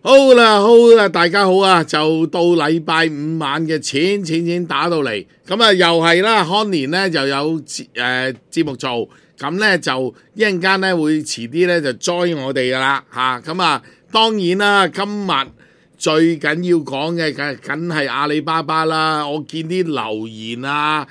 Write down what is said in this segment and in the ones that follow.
好啦，大家好啊！就到禮拜五晚嘅錢打到嚟，咁啊又係啦，康年咧就有節目做，咁咧就一陣間咧會遲啲咧就 join 我哋噶啦嚇，咁啊當然啦，今日最緊要講嘅梗係阿里巴巴啦，我見啲留言啊，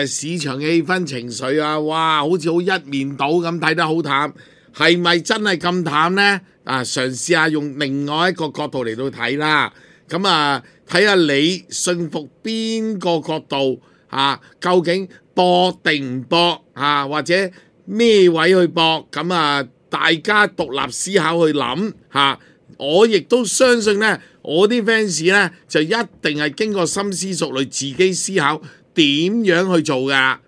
市場氣氛情緒啊，哇，好似好一面倒咁，睇得好淡，係咪真係咁淡呢？嘗試下用另外一個角度嚟到睇啦，咁啊睇下你信服邊個角度究竟搏定唔搏或者咩位去搏？咁啊大家獨立思考去諗我亦都相信呢，我啲 fans 呢就一定係經過深思熟慮，自己思考點樣去做噶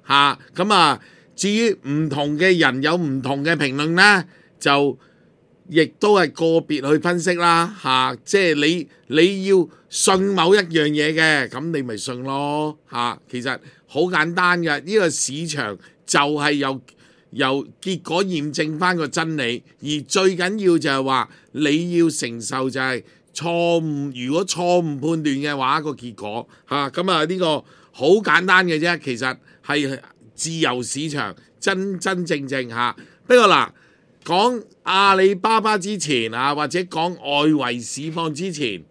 咁啊至於唔同嘅人有唔同嘅評論呢，就亦都係個別去分析啦即係你要信某一樣嘢嘅，咁你咪信咯其實好簡單嘅，呢個市場就係由結果驗證翻個真理，而最緊要就係話你要承受就係錯誤，如果錯誤判斷嘅話個結果咁啊呢個好簡單嘅啫，其實係自由市場真正不過嗱，講阿里巴巴之前或者講外圍市況之前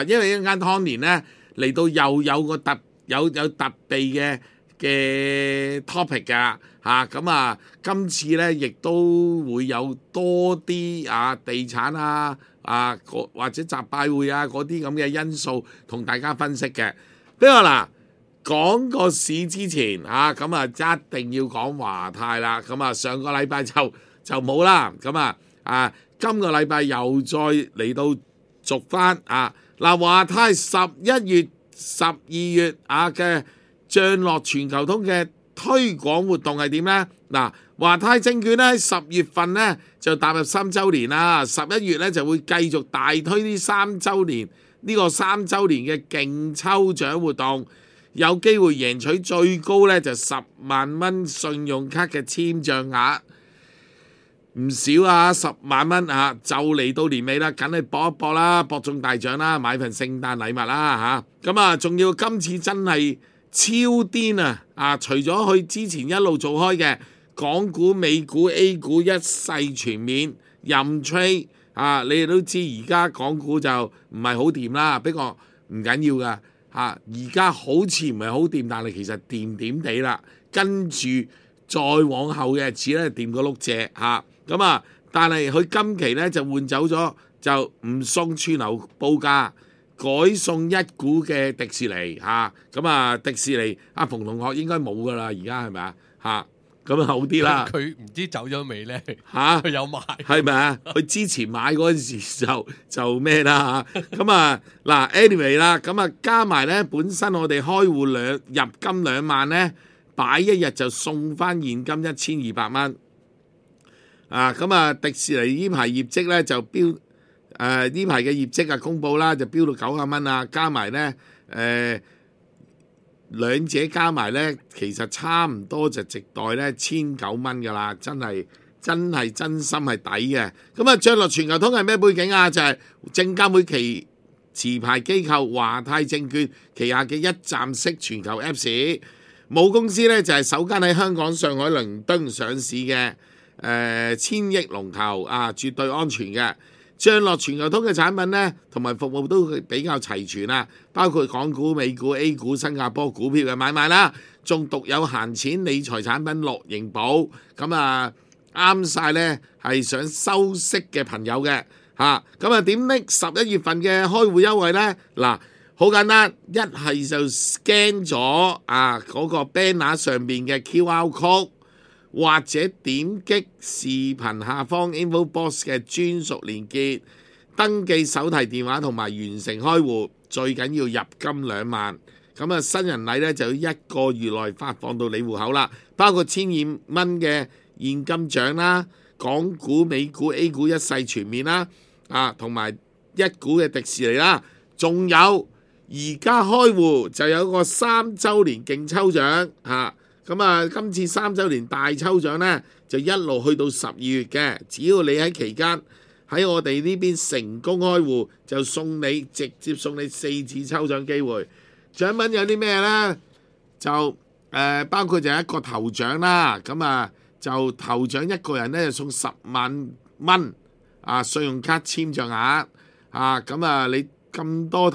因為一陣間湯年咧嚟到又有個特備嘅 topic 噶咁今次咧亦都會有多啲地產或者集拜會嗰啲咁嘅因素同大家分析嘅。不過嗱，講個市之前咁一定要講華泰啦。咁上個禮拜就冇啦。咁今個禮拜又再嚟到續翻華泰11月、12月嘅漲落全球通嘅推廣活動係點呢？華泰證券咧喺10月份咧就踏入3週年啦，11月咧就會繼續大推呢3週年嘅勁抽獎活動，有機會贏取最高咧就10萬蚊信用卡嘅簽賬額，唔少10萬蚊就嚟到年尾啦，梗係搏一搏啦，搏中大獎啦，買份聖誕禮物啦咁仲要今次真係超癲除咗佢之前一路做開嘅港股、美股、A 股一世全面任 trade 你哋都知而家港股就唔係好掂啦，不過唔緊要噶而家好似唔係好掂，但係其實掂地啦，跟住再往後嘅日子咧掂個碌蔗咁但係佢今期咧就換走咗，就唔送串流報價，改送一股嘅迪士尼迪士尼馮同學應該冇噶啦，而家係咪咁好啲啦。佢唔知走咗未咧？佢有買係咪佢之前買嗰陣時就咩啦咁anyway 啦，咁加埋咧，本身我哋開戶入金2萬咧，擺一日就送翻現金1200蚊迪士尼呢排業績咧就飆呢排嘅業績公佈啦，就飆到90蚊加埋咧兩者加埋咧，其實差唔多就直代咧1900蚊噶啦，真心係抵嘅。咁漲落全球通係咩背景就係證監會持牌機構華泰證券旗下嘅一站式全球 Apps， 母公司咧就係首間喺香港、上海、倫敦上市嘅千億龍頭絕對安全嘅。漲落全球通嘅產品咧，同埋服務都比較齊全包括港股、美股、A 股、新加坡股票嘅買賣啦，仲獨有閒錢理財產品樂盈保，咁啱晒咧係想收息嘅朋友嘅咁點拎11月份嘅開戶優惠咧？好簡單，一係就 scan 咗嗰個 banner 上面嘅 QR code，或者點擊視頻下方 info box 嘅專屬連結，登記手提電話同埋完成開戶，最緊要入金2萬。咁新人禮咧就要1個月內發放到你戶口啦，包括1200蚊嘅現金獎啦，港股、美股、A 股一世全面啦，同埋1股嘅迪士尼啦，仲有而家開戶就有個3週年勁抽獎今次3週年大抽獎呢，就一路去到12月嘅，只要你喺期間喺我哋呢邊成功開戶，就直接送你4次抽獎機會。獎品有啲咩呢？就包括就一個頭獎啦，咁啊就頭獎一個人咧就送10萬蚊信用卡簽賬額咁啊你咁多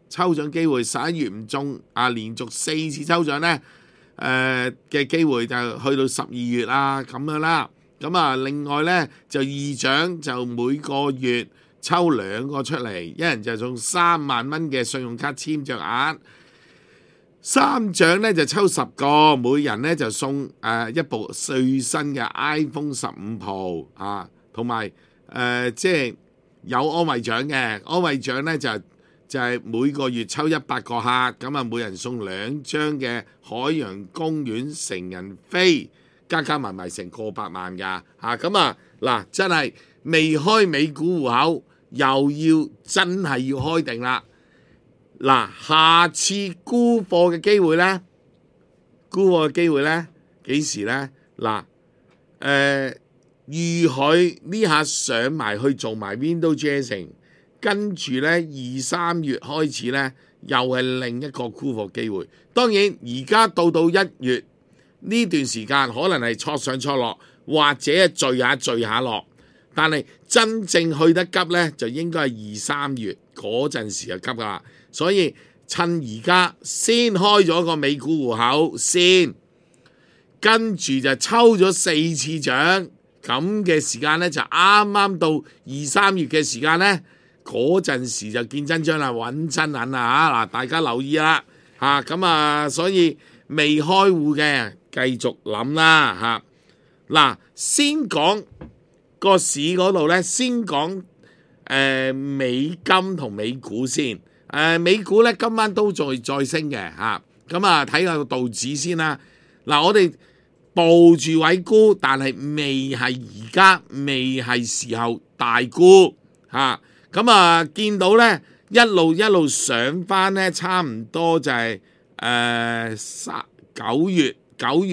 抽獎機會，11月唔中連續4次抽獎咧嘅機會就去到12月咁樣啦。咁啊另外咧就2獎就每個月抽2個出嚟，一人就送3萬蚊嘅信用卡簽賬額。3獎咧就抽10個，每人咧就送一部最新嘅 iPhone 15 Pro 同埋即係有安慰獎嘅。安慰獎咧就係每個月抽100個客，咁啊每人送2張嘅海洋公園成人飛，加埋成過百萬㗎咁啊嗱，真係未開美股戶口，又真係要開定啦。嗱，下次沽貨嘅機會呢？幾時呢？嗱，預佢呢下上埋去做埋 Window Dressing， 跟住呢2、3月開始呢，又係另一個沽貨機會。當然而家到1月呢段時間，可能係挫上挫落，或者係聚下落，但係真正去得急呢，就應該係2、3月嗰陣時就急㗎啦。所以趁而家先開咗個美股戶口先，跟住就抽咗4次獎，咁嘅時間呢，就啱啱到2、3月嘅時間呢，嗰陣時就見真章啦，揾真銀啦嗱，大家留意啦所以未開戶嘅繼續諗啦嗱，先講個市嗰度呢，先講美金同美股先。美股咧今晚都再升嘅咁睇下個道指先啦。嗱，我哋抱住位沽，但係而家未係時候大沽咁見到咧一路上翻咧，差唔多就係9月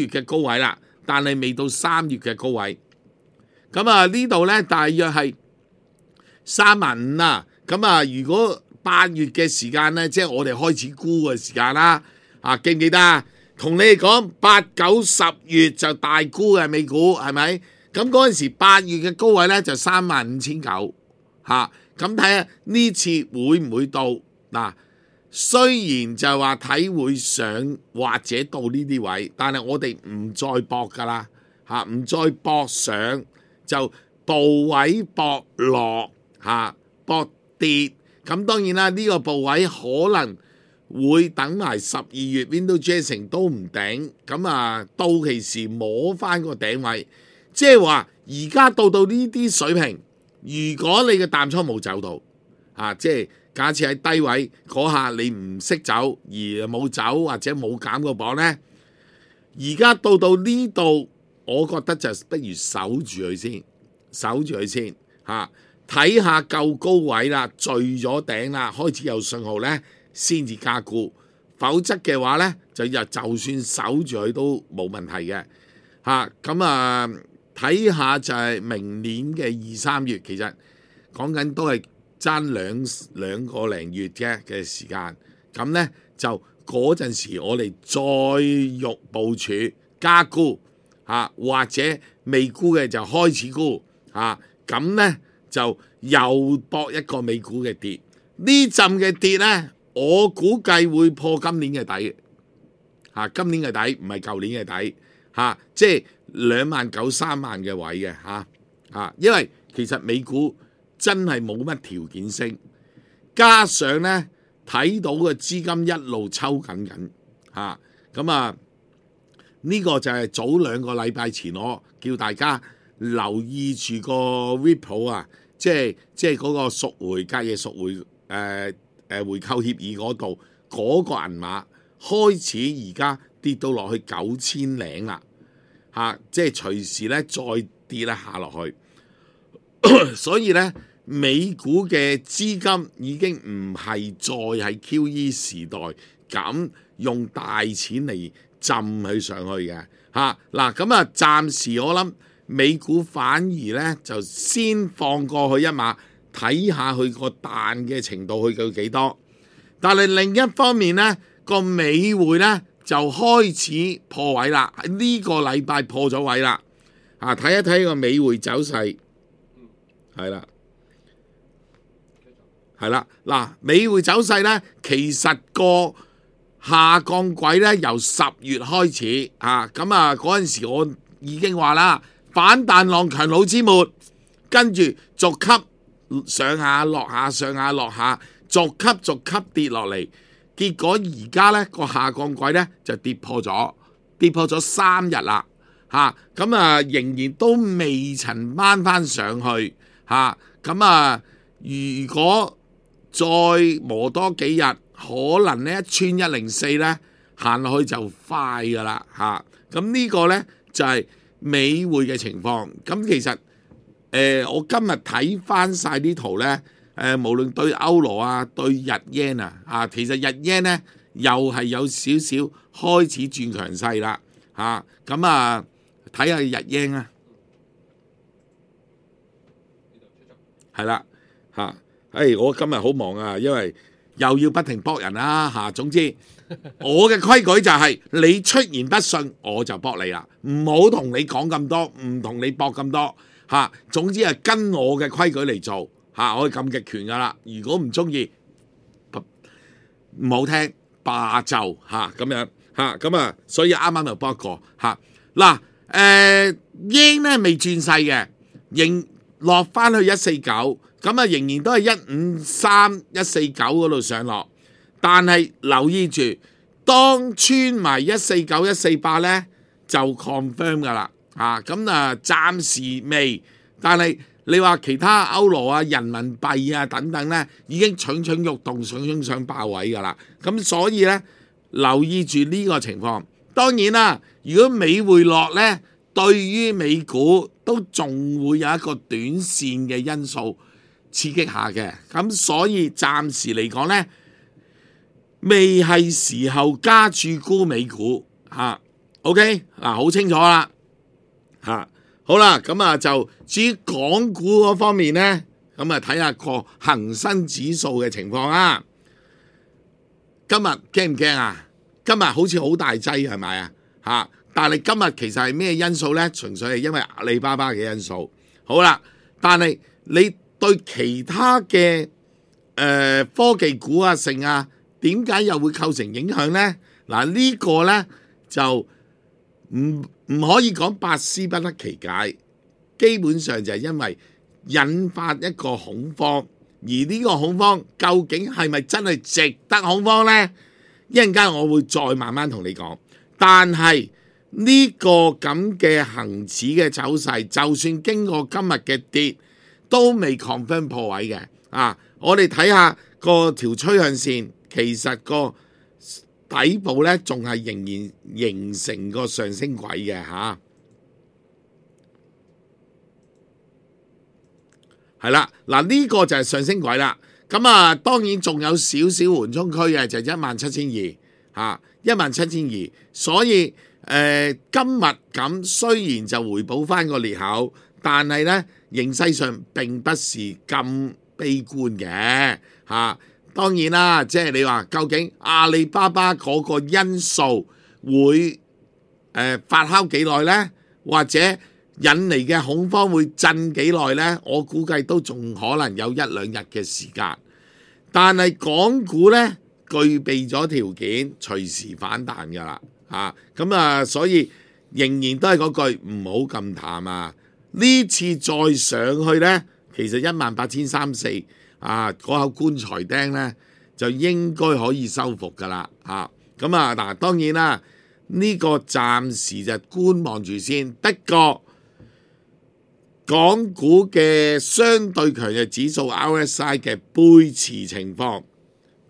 嘅高位啦，但係未到3月嘅高位。咁呢度咧大約係35000啦。咁如果8月嘅時間呢，即係我哋開始沽嘅時間啦。記唔記得啊？同你哋講8、9、10月就大沽嘅美股，係咪？咁嗰陣時8月嘅高位呢，就35900咁睇下呢次會唔會到嗱？雖然就話睇會上或者到呢啲位，但係我哋唔再搏噶啦唔再搏上，就部位搏落搏跌。咁當然啦，呢個部位可能會等埋12月 Window Dressing 都唔頂，咁到期時摸翻個頂位，即係話而家到呢啲水平，如果你嘅淡倉冇走到即係假設喺低位嗰下你唔識走而冇走或者冇減個磅呢，而家到呢度，我覺得就不如守住佢先睇下夠高位啦，聚咗頂啦，開始有信號呢，先至加沽。否則嘅話呢，就算守住佢都冇問題嘅睇下就係明年嘅2、3月，其實講緊都係爭兩個零月嘅時間。咁呢，就嗰陣時我哋再部署加沽或者未沽嘅就開始沽咁呢。就又搏一個美股嘅跌，呢陣嘅跌呢，我估計會破今年嘅底今年嘅底唔係舊年嘅底即係29000、3萬嘅位嘅因為其實美股真係冇乜條件升，加上呢睇到個資金一路抽緊呢個就係早2個禮拜前我叫大家留意住個 Ripple 即係嗰個隔夜贖回回購協議嗰度嗰個銀碼開始而家跌到落去9000零啦即係隨時咧再跌下落去所以咧美股嘅資金已經唔係再係 QE 時代咁用大錢嚟浸佢上去嘅嗱咁暫時我諗美股反而咧就先放過去一馬，睇下佢個彈嘅程度去到幾多。但係另一方面咧，個美匯咧就開始破位啦，呢個禮拜破咗位啦。睇一睇個美匯走勢，係啦。係啦，嗱，美匯走勢咧，其實個下降軌咧由10月開始咁嗰陣時我已經話啦，反彈浪強弩之末，跟住逐級上下落下，上下落下，逐級跌落嚟，結果而家咧個下降軌咧就跌破咗3日啦，咁仍然都未曾掹翻上去，如果再磨多幾日，可能呢一穿104咧行落去就快噶啦咁呢個咧就係美匯嘅情況。咁其實我今日睇翻晒啲圖咧，無論對歐羅啊，對日 yen 其實日 yen 咧又係有少少開始轉強勢啦咁睇下日 yen 啊，係啦我今日好忙啊，因為又要不停搏人啦總之我嘅規矩就係你出言不遜我就搏你啦，唔好同你講咁多，唔同你搏咁多總之係跟我嘅規矩嚟做我係咁極權噶啦。如果唔中意唔好聽罷就咁樣咁所以啱啱又搏一個yen 咧未轉勢嘅，仍落翻去149。咁仍然都係153、149嗰度上落，但係留意住，當穿埋149、148咧就 confirm 噶啦，暫時未，但係你話其他歐羅啊、人民幣啊等等咧，已經蠢蠢欲動、想爆位噶啦，咁所以咧留意住呢個情況。當然啦，如果美匯落咧，對於美股都仲會有一個短線嘅因素刺激下嘅，咁所以暫時嚟講呢，未係時候加注沽美股OK 好清楚啦好啦，咁就至於港股嗰方面呢，咁睇下個恒生指數嘅情況啦。今日驚唔驚啊？今日好似好大劑係咪但係今日其實係咩因素呢？純粹係因為阿里巴巴嘅因素。好啦，但係你對其他嘅科技股剩點解又會構成影響呢？呢個呢就唔可以講百思不得其解，基本上就係因為引發一個恐慌，而呢個恐慌究竟係咪真係值得恐慌呢？一陣間我會再慢慢同你講。但係呢個咁嘅恒指嘅走勢，就算經過今日嘅跌，都未 confirm 破位嘅我哋睇下個條趨向線，其實個底部咧仲係仍然形成個上升軌嘅係啦，呢個就係上升軌啦。咁當然仲有少少緩衝區嘅，就係17200 17200，所以今日咁雖然就回補翻個裂口，但係咧形勢上並不是咁悲觀嘅當然啦，即係你話究竟阿里巴巴嗰個因素會發酵幾耐呢？或者引嚟嘅恐慌會震幾耐呢？我估計都仲可能有1-2日嘅時間。但係港股呢，具備咗條件，隨時反彈㗎啦所以仍然都係嗰句唔好咁淡呢次再上去呢，其實18340嗰口棺材釘呢，就應該可以收復㗎啦當然啦，呢個暫時就觀望住先。不過港股嘅相對強弱指數 RSI 嘅背馳情況，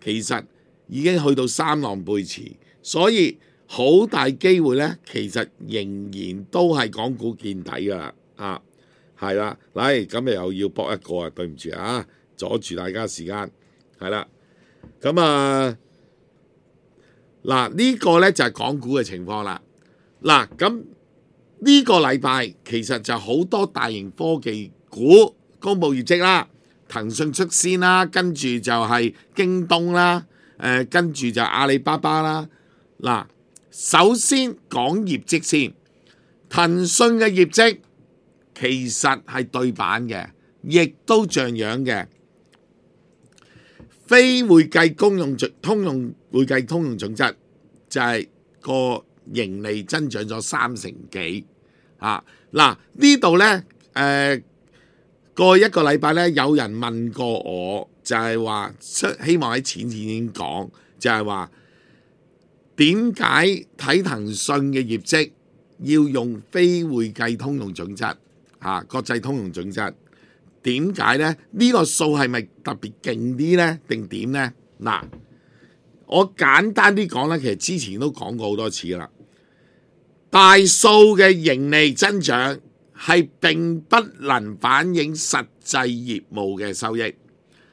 其實已經去到3浪背馳，所以好大機會呢，其實仍然都係港股見底㗎啦係啦，咁又要搏一個對唔住阻住大家時間係啦。咁呢個呢就係港股嘅情況啦。咁呢個禮拜其實就好多大型科技股公布業績啦，騰訊率先啦，跟住就係京東啦，跟住就阿里巴巴啦。嗱，首先講業績先，騰訊嘅業績其實係對版嘅，亦都像樣嘅。非會計通用會計通用準則就係個盈利增長咗3成幾啊！嗱，呢度呢，過一個禮拜呢，有人問過我，就係話希望喺前講，就係話點解睇騰訊嘅業績要用非會計通用準則國際通用準則？點解呢？呢個數係咪特別勁啲呢？定點呢？嗱，我簡單啲講呢，其實之前都講過好多次啦。大數嘅盈利增長係並不能反映實際業務嘅收益，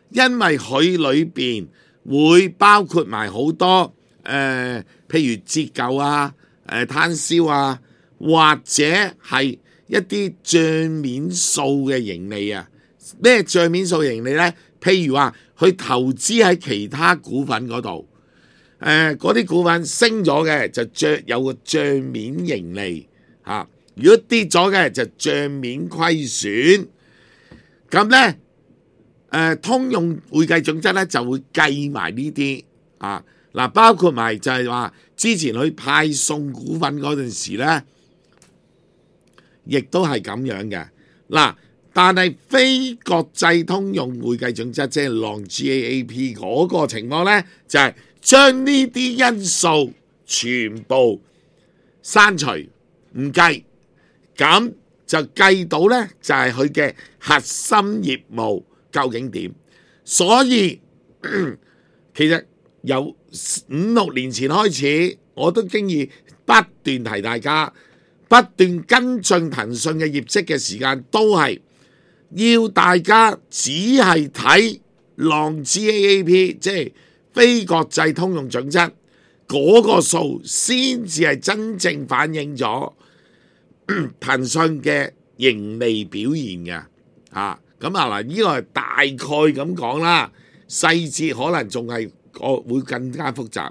因為佢裏邊會包括埋好多譬如折舊啊、攤銷啊，或者係一啲帳面數嘅盈利啊。咩帳面數盈利呢？譬如話佢投資喺其他股份嗰度，嗰啲股份升咗嘅就有個帳面盈利嚇，如果跌咗嘅就帳面虧損。咁呢，通用會計準則呢就會計埋呢啲嗱，包括埋就係話之前去派送股份嗰陣時呢，亦都係咁樣嘅嗱。但係非國際通用會計準則，即係浪 GAAP 嗰個情況呢，就係將呢啲因素全部刪除唔計，咁就計到呢，就係佢嘅核心業務究竟點。所以其實由5-6年前開始，我都經已不斷提大家，不斷跟進騰訊嘅業績嘅時間都係要大家只係睇浪 GAAP， 即係非國際通用準則嗰個數，先至係真正反映咗騰訊嘅盈利表現嘅咁嗱，呢個係大概咁講啦，細節可能仲係會更加複雜，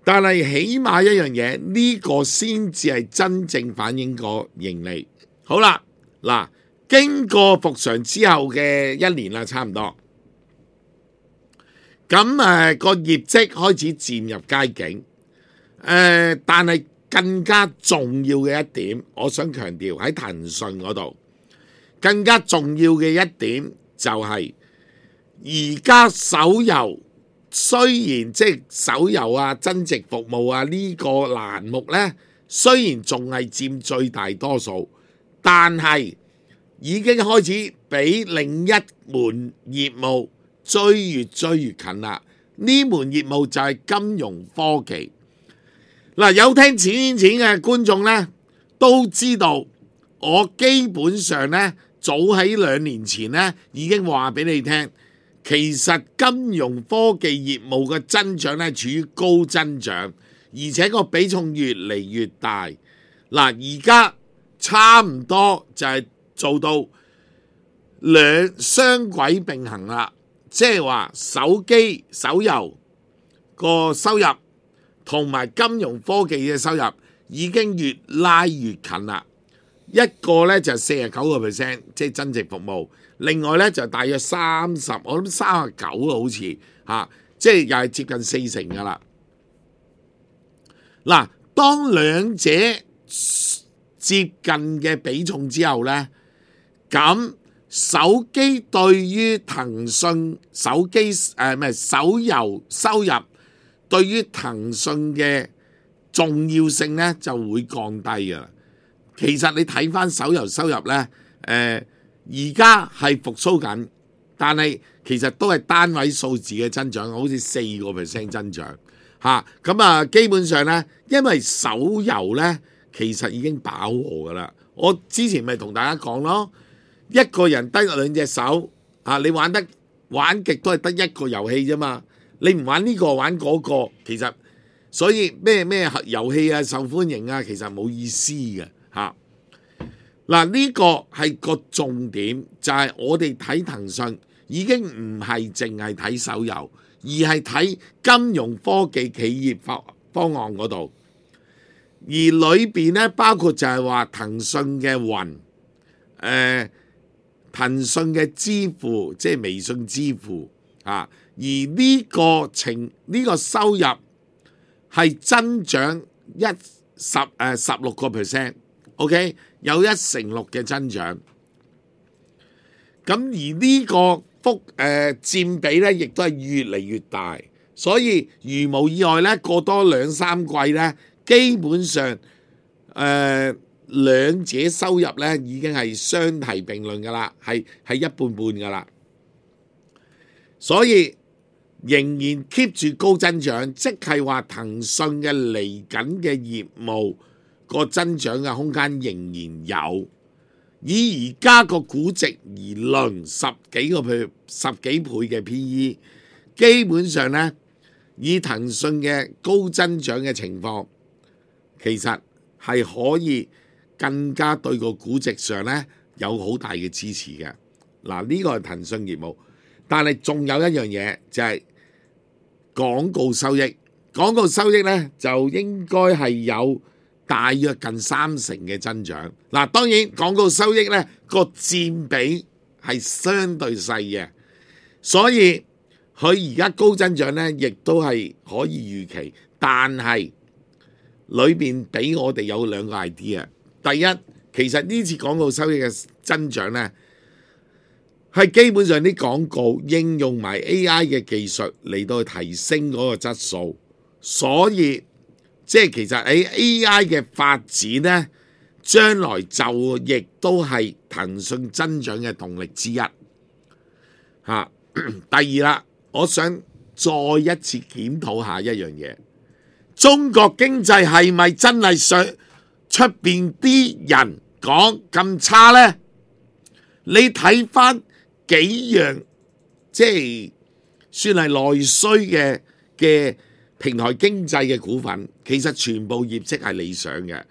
但係起碼一樣嘢，呢個先至係真正反映個盈利。好啦，嗱。經過復常之後嘅1年啦，差唔多，咁個業績開始漸入佳境，但係更加重要嘅一點，我想強調喺騰訊嗰度，更加重要嘅一點就係而家手遊雖然即係手遊啊、增值服務啊呢個欄目呢，雖然仲係佔最大多數，但係已經開始俾另一門業務追越近啦。呢門業務就係金融科技。嗱，有聽錢嘅觀眾呢都知道，我基本上呢早喺2年前呢已經話俾你聽，其實金融科技業務嘅增長呢處於高增長，而且個比重越嚟越大。嗱，而家差唔多就係做到雙軌並行啦，即係話手機手遊個收入同埋金融科技嘅收入已經越拉越近啦。一個呢就 49%， 即係增值服務，另外呢就大約30%，我諗39%好似即係又係接近40%噶啦。嗱，當兩者接近嘅比重之後呢，咁手機對於騰訊手遊收入對於騰訊嘅重要性呢就會降低㗎啦。其實你睇翻手遊收入呢，而家係復甦緊，但係其實都係單位數字嘅增長，好似4% 增長咁基本上呢，因為手遊呢其實已經飽和㗎啦。我之前咪同大家講咯。一個人得2隻手你玩極都係得一個遊戲啫嘛。你唔玩呢個玩嗰個，其實所以咩遊戲啊受歡迎啊，其實冇意思嘅嚇。嗱，呢個係個重點，就係我哋睇騰訊已經唔係淨係睇手遊，而係睇金融科技企業方案嗰度。而裏邊咧包括就係話騰訊嘅雲，騰訊嘅支付，即係微信支付啊。而呢個收入係增長16%，OK， 有1成6嘅增長。咁而呢個佔比咧，亦都係越嚟越大。所以如無意外咧，過多2-3季咧，基本上兩者收入咧已經係相提並論噶啦，係一半半噶啦。所以仍然 keep 住高增長，即係話騰訊嘅嚟緊嘅業務個增長嘅空間仍然有。以而家個估值而論，10幾倍嘅 PE， 基本上咧以騰訊嘅高增長嘅情況，其實係可以更加對個估值上咧有好大嘅支持嘅。嗱，呢個係騰訊業務，但係仲有一樣嘢就係廣告收益。廣告收益咧就應該係有大約近30%嘅增長。嗱，當然廣告收益咧個佔比係相對細嘅，所以佢而家高增長咧亦都係可以預期。但係裏邊俾我哋有兩個 idea。第一，其實呢次廣告收益嘅增長咧係基本上啲廣告應用埋 AI 嘅技術嚟到提升嗰個質素，所以即係其實喺 AI 嘅發展呢，將來就亦都係騰訊增長嘅動力之一。第二啦，我想再一次檢討下一樣嘢，中國經濟係咪真係上出邊啲人講咁差呢？你睇翻幾樣即係算係內需嘅平台經濟嘅股份，其實全部業績係理想嘅。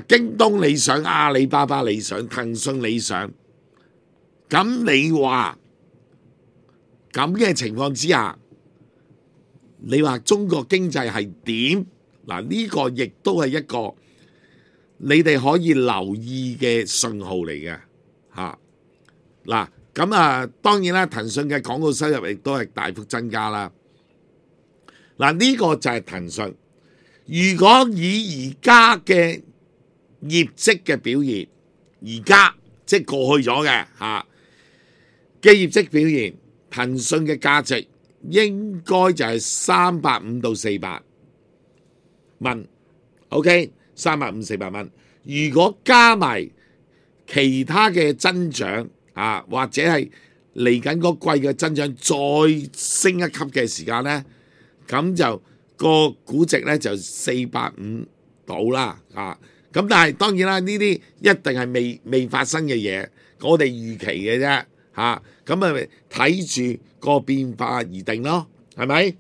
京東理想，阿里巴巴理想，騰訊理想。咁你話咁嘅情況之下，你話中國經濟係點？嗱，呢個亦都係一個你哋可以留意嘅信號嚟嘅。嗱，咁當然啦，騰訊嘅廣告收入亦都係大幅增加啦。嗱，呢個就係騰訊。如果以而家嘅業績嘅表現，而家即係過去咗嘅嘅業績表現，騰訊嘅價值應該就係350到400蚊。OK， 350-400蚊。如果加埋其他嘅增長或者係嚟緊嗰季嘅增長再升一級嘅時間呢，咁就個估值呢就450到啦。咁但係當然啦，呢啲一定係未發生嘅嘢，我哋預期嘅啫。咁咪睇住個變化而定咯，係咪？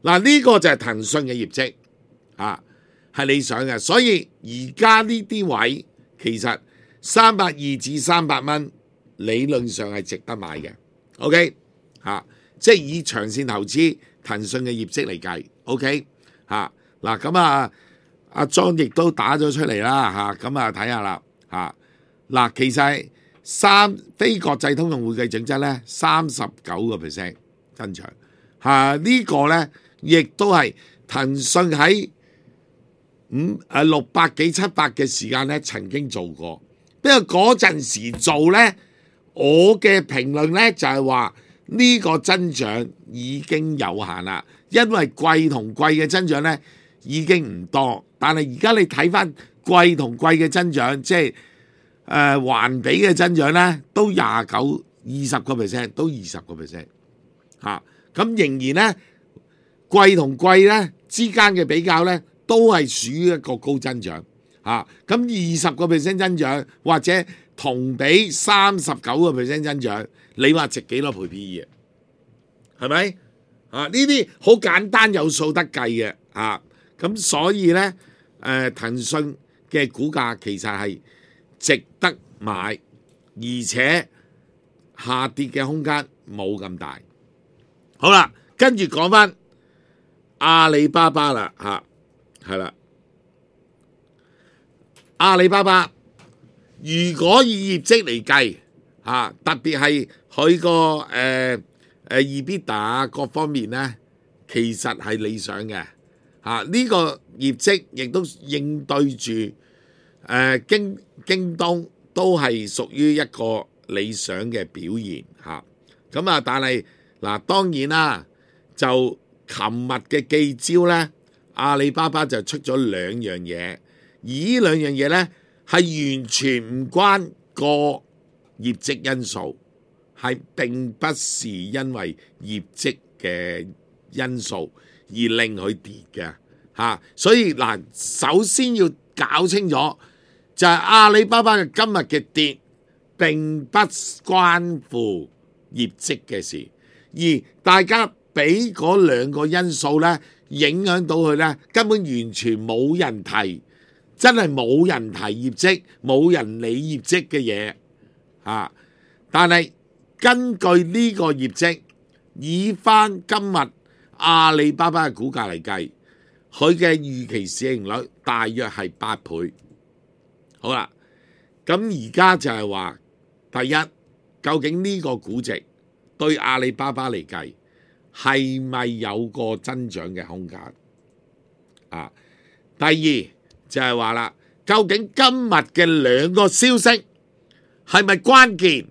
嗱，呢個就係騰訊嘅業績係理想嘅，所以而家呢啲位其實320至300蚊理論上係值得買嘅。OK 即係以長線投資騰訊嘅業績嚟計。OK 嗱，咁阿莊亦都打咗出嚟啦。咁睇下啦。嗱，其實非國際通用會計準則咧39% 增長。呢個咧亦都係騰訊喺600幾700嘅時間咧曾經做過。不過嗰陣時做咧，我嘅評論咧就係話呢個增長已經有限啦，因為季同季嘅增長咧已經唔多。但係而家你睇翻季同季嘅增長，即係環比嘅增長咧，都20%，都20%。咁仍然咧季同季咧之間嘅比較咧，都係屬於一個高增長。咁20% 增長或者同比39% 增長，你話值幾多倍 PE 係咪？呢啲好簡單有數得計嘅咁所以呢，騰訊嘅股價其實係值得買，而且下跌嘅空間冇咁大。好啦，跟住講翻阿里巴巴啦係啦，阿里巴巴如果以業績嚟計特別係佢個EBITDA 各方面呢，其實係理想嘅呢個業績亦都應對住京東都係屬於一個理想嘅表現但係當然啦，就琴日嘅記招呢，阿里巴巴就出咗兩樣嘢，而呢兩樣嘢呢，係完全唔關個業績因素，係並不是因為業績嘅因素而令佢跌嘅所以首先要搞清楚就係阿里巴巴嘅今日嘅跌並不關乎業績嘅事，而大家俾嗰兩個因素呢影響到佢呢，根本完全冇人提，真係冇人提業績，冇人理業績嘅嘢但係根據呢個業績，以翻今日阿里巴巴嘅股價嚟計，佢嘅預期市盈率大約係8倍。好啦，咁而家就係話，第一，究竟呢個估值對阿里巴巴嚟計係咪有個增長嘅空間第二就係話啦，究竟今日嘅兩個消息係咪關鍵，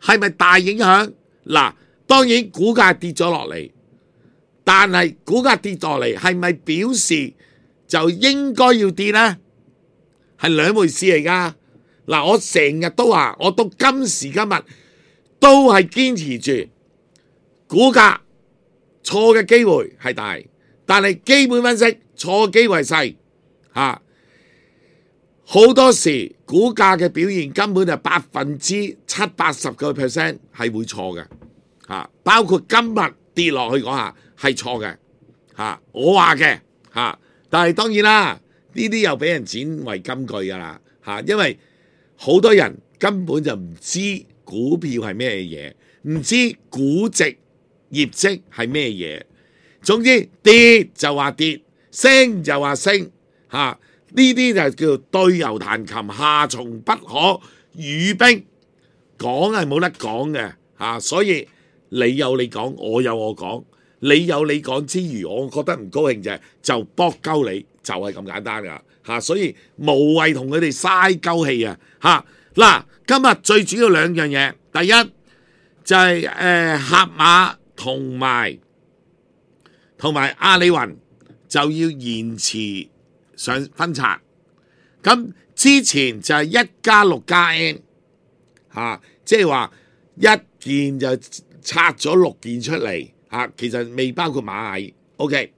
係咪大影響？當然股價跌咗落嚟，但係股價跌落嚟係咪表示就應該要跌呢？係兩回事嚟㗎。我成日都話，我到今時今日都係堅持住股價錯嘅機會係大，但係基本分析錯嘅機會係細好多時股價嘅表現根本就70%-80%係會錯嘅包括今日跌落去嗰下係錯嘅我話嘅但係當然啦，呢啲又俾人剪為金句㗎啦因為好多人根本就唔知股票係咩嘢，唔知估值業績係咩嘢，總之跌就話跌，升就話升呢啲就叫做對牛彈琴，下從不可語冰，講係冇得講嘅所以你有你講，我有我講，你有你講之餘，我覺得唔高興就搏鳩你，就係咁簡單噶所以無謂同佢哋嘥鳩氣今日最主要兩樣嘢，第一就係盒馬同埋阿里雲就要延遲上分拆，咁之前就係1+6+N即係話一件就拆咗6件出嚟其實未包括螞蟻 OK，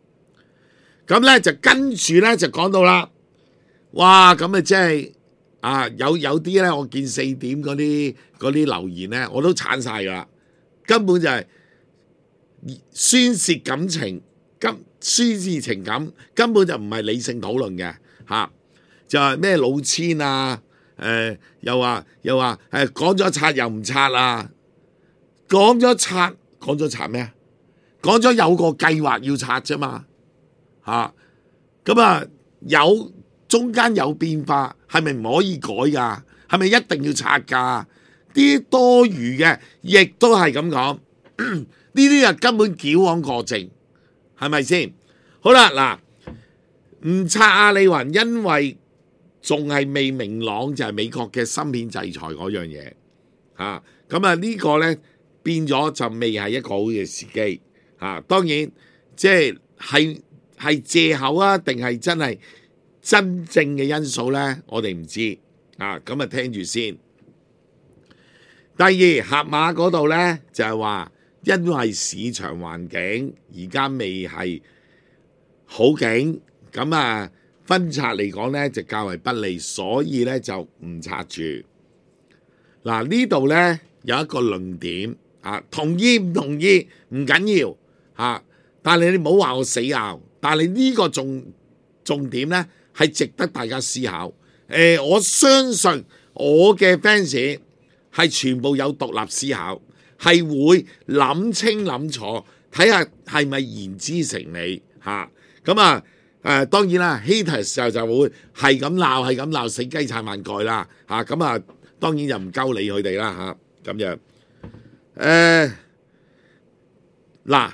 咁咧就跟住咧就講到啦，哇咁即係有啲咧，我見4點嗰啲留言咧，我都鏟晒噶啦，根本就係宣泄感情，宣泄情感，根本就唔係理性討論嘅就係咩老千又話講咗拆又唔拆講咗拆咩？講咗有個計劃要拆啫嘛咁有中間有變化，係咪唔可以改㗎？係咪一定要拆㗎？啲多餘嘅亦都係咁講，呢啲根本矯枉過正，係咪先？好啦，唔拆阿里雲，因為仲係未明朗，就係美國嘅芯片制裁嗰樣嘢咁呢個呢變咗就未係一個好嘅時機當然即係借口定係真係真正嘅因素呢？我哋唔知咁聽住先。第二，盒馬嗰度呢，就係話，因為市場環境而家未係好景，咁分拆嚟講呢就較為不利，所以呢就唔拆住。呢度呢有一個論點同意唔同意唔緊要但係你唔好話我死拗，但係呢個重點咧係值得大家思考。我相信我嘅 fans 係全部有獨立思考，係會諗清諗楚，睇下係咪言之成理嚇。咁當然啦 haters 就會係咁鬧，死雞撐萬蓋啦嚇。咁當然就唔鳩理佢哋啦嚇。咁樣嗱，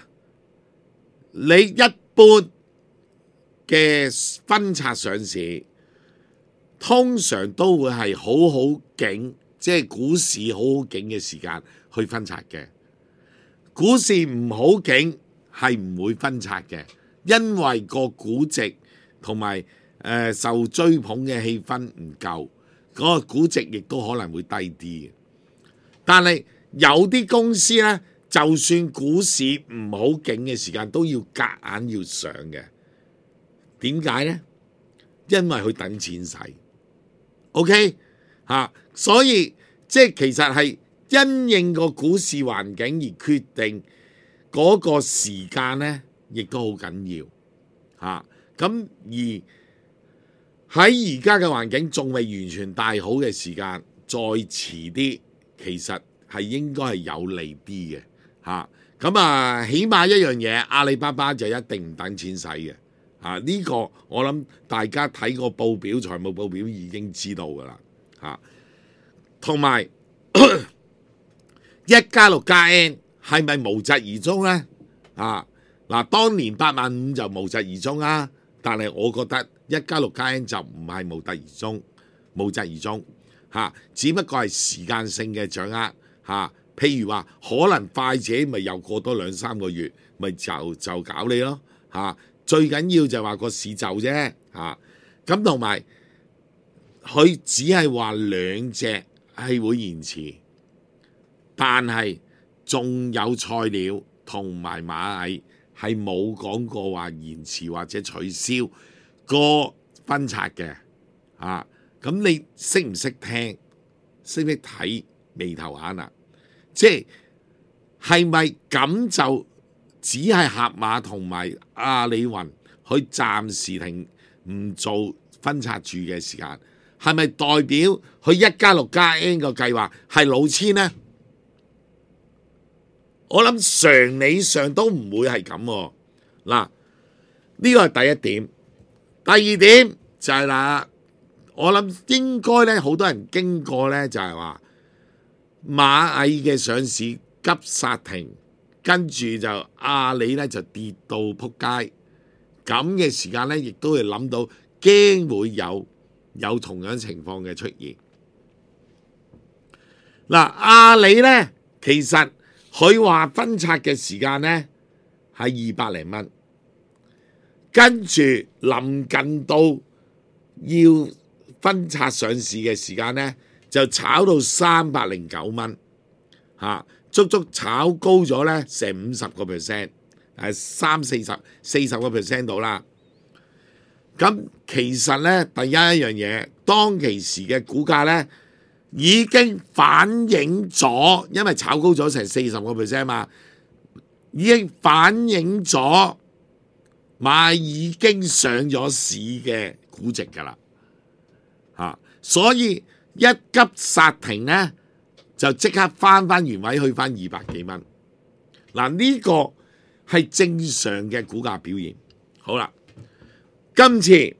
你一般嘅分拆上市，通常都會係好好景，即係股市好好景嘅時間去分拆嘅。股市唔好景係唔會分拆嘅，因為個估值同埋受追捧嘅氣氛唔夠，嗰個估值亦都可能會低啲嘅。但係有啲公司呢，就算股市唔好景嘅時間，都要夾硬要上嘅。點解呢？因為佢等錢使。OK 所以即係其實係因應個股市環境而決定嗰個時間呢，亦都好緊要咁而喺而家嘅環境仲未完全大好嘅時間，再遲啲，其實係應該係有利啲嘅咁起碼一樣嘢，阿里巴巴就一定唔等錢使嘅呢個我諗大家睇個報表，財務報表已經知道噶啦同埋1+6+N 係咪無疾而終呢？當年85000就無疾而終啦，但係我覺得1+6+N 就唔係無疾而終只不過係時間性嘅掌握譬如話可能快者咪又過多2-3個月，咪就搞你咯最緊要就係話個市就啫咁同埋佢只係話兩隻係會延遲，但係仲有菜鳥同埋螞蟻係冇講過話延遲或者取消個分拆嘅咁你識唔識聽？識唔識睇眉頭眼即係咪咁就只係盒馬同埋阿里雲佢暫時停唔做分拆住嘅時間，係咪代表佢1+6+N 個計劃係老千呢？我諗常理上都唔會係咁嗱，呢個係第一點。第二點就係我諗應該咧，好多人經過咧就係話螞蟻嘅上市急剎停，跟住就阿里咧就跌到撲街，咁嘅時間咧亦都會諗到驚會有同樣情況嘅出現。阿里咧其實佢話分拆嘅時間咧係200零蚊，跟住臨近到要分拆上市嘅時間咧就炒到309蚊足足炒高咗咧成50%， 30-40% 到啦。咁其實咧第一樣嘢，當其時嘅股價咧已經反映咗，因為炒高咗成40% 嘛，已經反映咗螞蟻已經上咗市嘅估值噶啦所以一急剎停咧就即刻翻原位，去翻200幾蚊。呢個係正常嘅股價表現。好啦，今次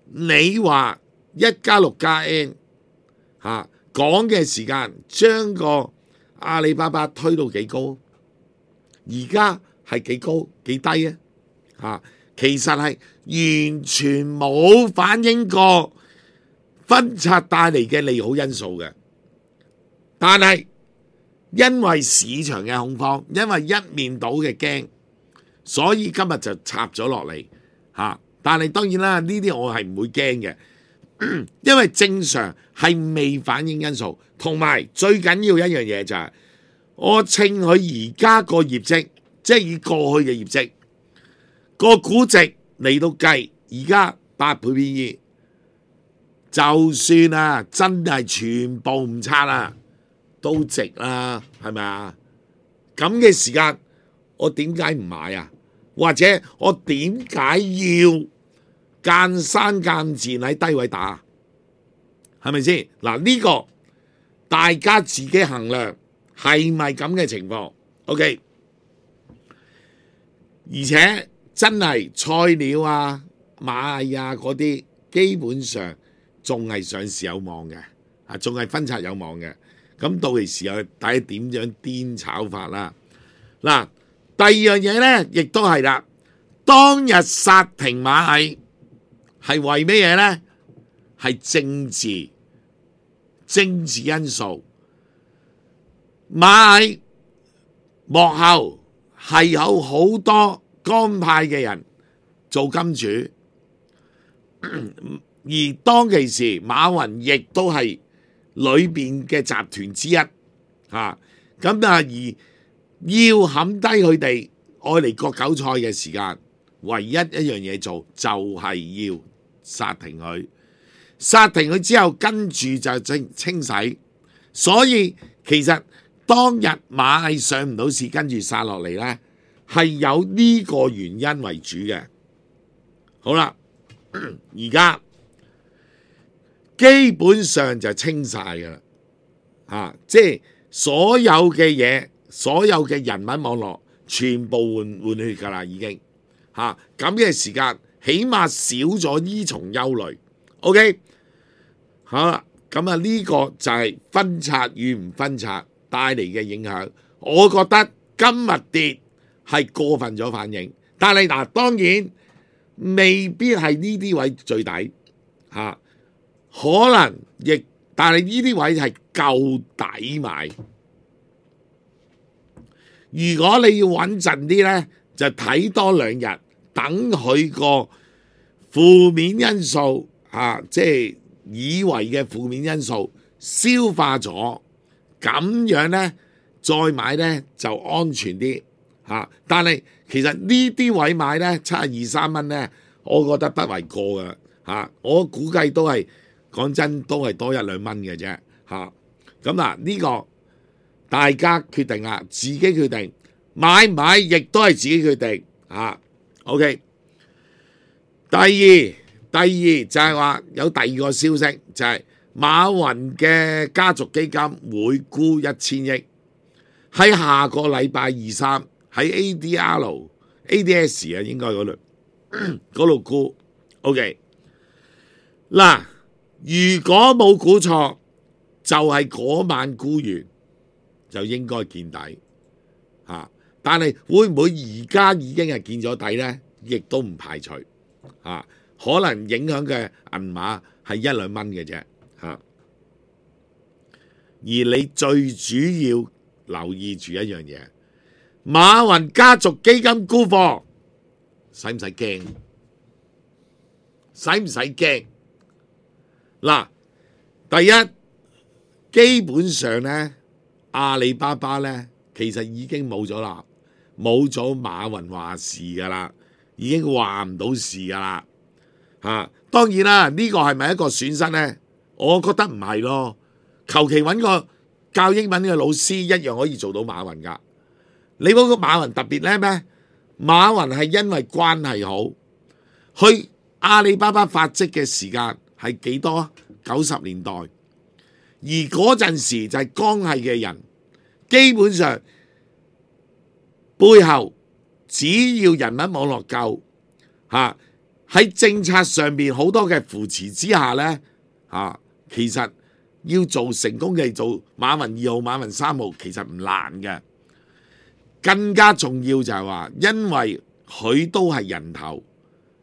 你話1+6+N 講嘅時間將個阿里巴巴推到幾高？而家係幾高幾低其實係完全冇反映過分拆帶嚟嘅利好因素嘅，但係因為市場嘅恐慌，因為一面倒嘅驚，所以今日就插咗落嚟但係當然啦，呢啲我係唔會驚嘅，因為正常係未反映因素，同埋最緊要一樣嘢就係我稱佢而家個業績，即係以過去嘅業績個估值嚟到計，而家8倍 PE。就算真係全部唔拆都值啦，係咪咁嘅時間，我點解唔買或者我點解要間山間戰喺低位打？係咪先？嗱，呢個大家自己衡量係咪咁嘅情況 ？OK， 而且真係菜鳥啊、螞蟻啊嗰啲，基本上仲係上市有望嘅，仲係分拆有望嘅。咁到期時又睇點樣癲炒法啦。嗱，第二樣嘢咧，亦都係啦。當日殺停螞蟻係為咩嘢咧？係政治因素。螞蟻幕後係有好多江派嘅人做金主，而當其時馬雲亦都係裏邊嘅集團之一，咁而要冚低佢哋愛嚟割韭菜嘅時間，唯一一樣嘢做就係要殺停佢，殺停佢之後跟住就清洗，所以其實當日螞蟻上唔到市，跟住殺落嚟呢，係有呢個原因為主嘅。好啦，而家基本上就清晒噶啦，即係所有嘅嘢，所有嘅人物網絡全部換血噶啦，已經咁嘅時間，起碼少咗呢重憂慮。OK， 好啦，咁呢個就係分拆與唔分拆帶嚟嘅影響。我覺得今日跌係過分咗反應，但係當然未必係呢啲位最底可能但係呢啲位係夠抵買。如果你要穩陣啲呢，就睇多2日，等佢個負面因素即係以為嘅負面因素消化咗，咁樣呢，再買呢就安全啲但係其實呢啲位買呢，72、3蚊呢，我覺得不為過噶我估計都係講真都係多1、2蚊嘅啫咁呢個大家決定啦，自己決定買唔買，亦都係自己決定OK。第二就係話有第二個消息，就係馬雲嘅家族基金會沽1000億，喺下個禮拜2、3喺 ADS 應該嗰度沽 OK。嗱，如果冇估錯，就係嗰晚沽完就應該見底但係會唔會而家已經係見咗底呢？亦都唔排除可能影響嘅銀碼係1、2蚊嘅啫而你最主要留意住一樣嘢，馬雲家族基金沽貨，使唔使驚？使唔使驚？嗱，第一，基本上呢，阿里巴巴呢，其實已經冇咗啦，冇咗馬雲話事噶啦，已經話唔到事噶啦當然啦，呢個係咪一個損失呢？我覺得唔係咯，求其揾個教英文嘅老師一樣可以做到馬雲噶。你嗰個馬雲特別叻咩？馬雲係因為關係好，去阿里巴巴發跡嘅時間係幾多？90年代，而嗰陣時就係江系嘅人，基本上背後只要人物網絡夠喺政策上面好多嘅扶持之下呢，其實要做成功嘅做馬雲2號、馬雲3號其實唔難嘅。更加重要就係話，因為佢都係人頭，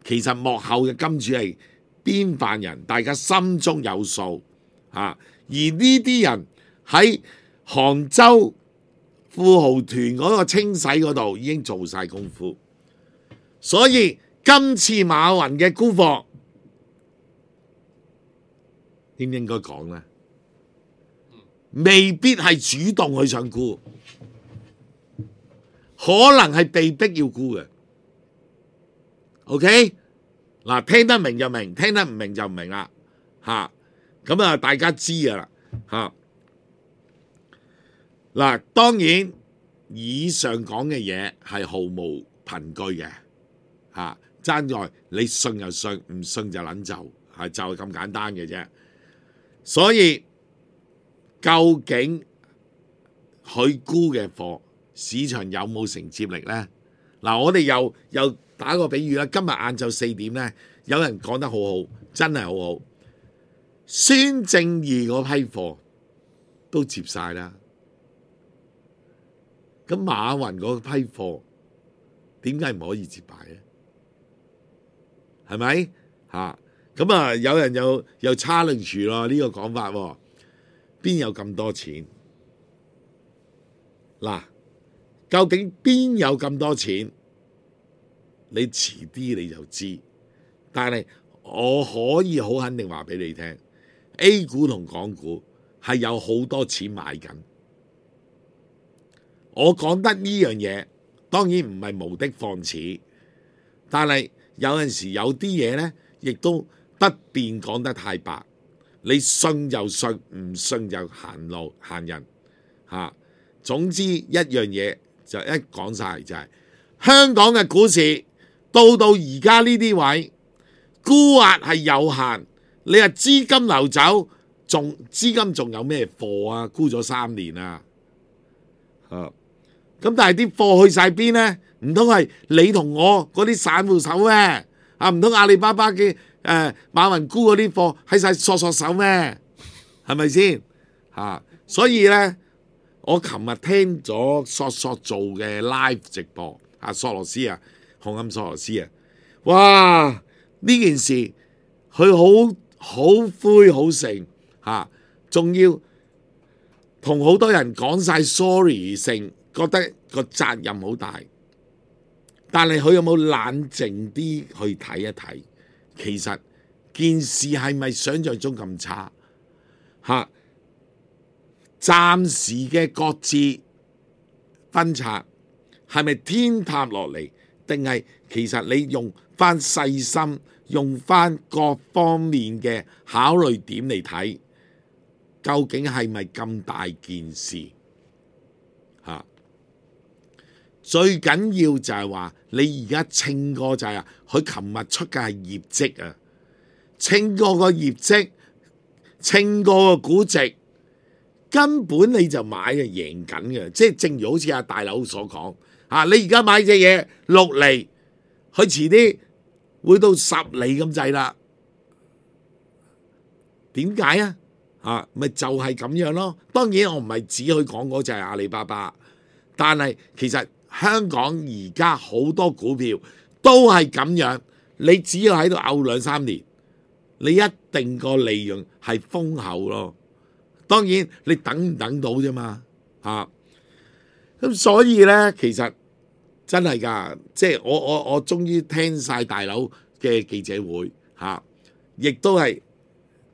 其實幕後嘅金主係邊範人，大家心中有數而呢啲人喺杭州富豪團嗰個清洗嗰度已經做晒功夫，所以今次馬雲嘅沽貨應唔應該講呢？未必係主動去想沽，可能係被逼要沽嘅。OK， 嗱，聽得明就明，聽得唔明就唔明啦。咁大家知噶啦。嗱，當然以上講嘅嘢係毫無憑據嘅爭在你信就信，唔信就撚就係咁簡單嘅啫。所以究竟佢沽嘅貨市場有冇承接力呢？嗱，我哋又打個比喻啦。今日晏晝4點呢，有人講得好好，真係好好。孫正義嗰批貨都接晒啦，咁馬雲嗰批貨點解唔可以接牌咧？係咪咁啊？有人又 challenge 咯呢個講法喎，邊有咁多錢？嗱，究竟邊有咁多錢？你遲啲你就知，但係我可以好肯定話俾你聽 ，A 股同港股係有好多錢買緊。我講得呢樣嘢，當然唔係無的放矢，但係有陣時有啲嘢呢，亦都不便講得太白。你信就信，唔信就行路行人總之一樣嘢就一講晒就係、香港嘅股市到而家呢啲位，沽壓係有限。你話資金流走，資金仲有咩貨啊？沽咗3年啊！咁但係啲貨去晒邊呢？唔通係你同我嗰啲散戶手咩？唔通阿里巴巴嘅馬雲沽嗰啲貨喺晒索手咩？係咪先？所以呢，我琴日聽咗索做嘅 live 直播，索羅斯紅磡索羅斯哇！呢件事佢好灰好盛仲要同好多人講晒 sorry 性。覺得個責任好大，但係佢有冇冷靜啲去睇一睇？其實件事係咪想像中咁差？暫時嘅各自分拆係咪天塌落嚟？定係其實你用翻細心，用翻各方面嘅考慮點嚟睇，究竟係咪咁大件事？最緊要就係話，你而家稱過就係佢琴日出嘅係業績啊，稱過個業績，稱過個估值，根本你就買嘅贏緊嘅，即係正如好似阿大佬所講你而家買隻嘢6厘，佢遲啲會到10厘咁滯啦。點解啊？咪就係咁樣咯。當然我唔係指佢講嗰隻係阿里巴巴，但係其實香港而家好多股票都係咁樣，你只要喺度拗2-3年，你一定個利潤係豐厚咯。當然你等唔等到啫嘛咁所以呢，其實真係㗎，即係我終於聽晒大佬嘅記者會亦都係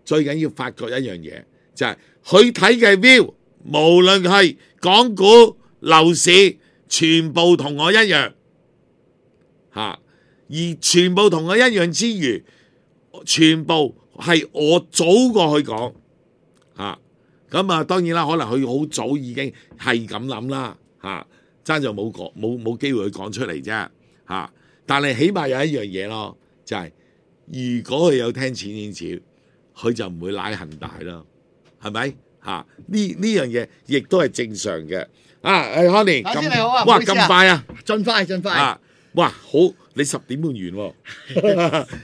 最緊要發覺一樣嘢，就係佢睇嘅 view， 無論係港股樓市，全部同我一樣而全部同我一樣之餘，全部係我早過去講咁當然啦，可能佢好早已經係咁諗啦爭就冇機會去講出嚟啫但係起碼有一樣嘢咯，就係、如果佢有聽錢少，佢就唔會賴恒大咯，係咪呢樣嘢亦都係正常嘅。Connie，大師你好啊！哇，咁快啊！盡快哇，好，你10點半完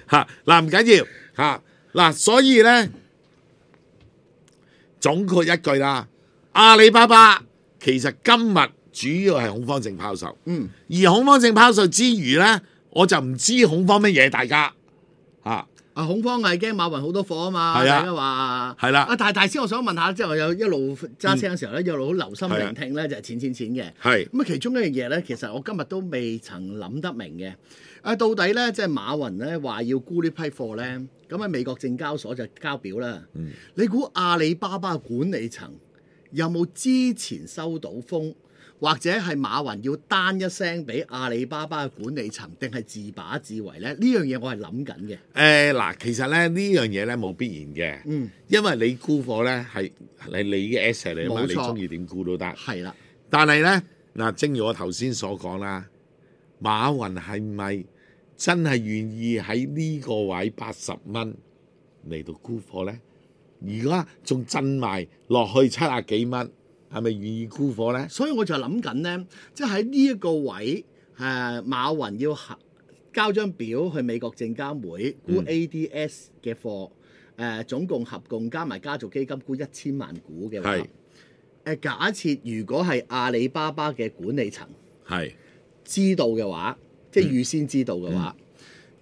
喎嗱，唔緊要所以咧，總括一句啦，阿里巴巴其實今日主要係恐慌性拋售，而恐慌性拋售之餘咧，我就唔知恐慌乜嘢，大家恐慌係驚馬雲好多貨啊嘛，大家話係啦。但係大師，我想問下，即係我有一路揸車嘅時候咧，一路好留心聆聽咧，就係錢嘅。咁其中一樣嘢咧，其實我今日都未曾諗得明嘅。到底咧，即係馬雲咧話要沽呢批貨咧，咁喺美國證交所就交表啦。你估阿里巴巴管理層有冇之前收到風？或者係馬雲要單一聲俾阿里巴巴嘅管理層，定係自把自為咧？呢樣嘢我係諗緊嘅。其實咧呢樣嘢咧冇必然嘅，因為你沽貨咧係你嘅 asset 嚟啊嘛，你中意點沽都得。係啦，但係咧正如我頭先所講啦，馬雲係咪真係願意喺呢個位80蚊嚟到沽貨呢？而家仲震埋落去70幾蚊，係咪願意沽貨呢？所以我就諗緊呢，即係喺呢一個位，馬雲要交張表去美國證監會沽 ADS 嘅貨，總共合共加埋家族基金沽1000萬股嘅話，假設如果係阿里巴巴嘅管理層知道嘅話，即係預先知道嘅話，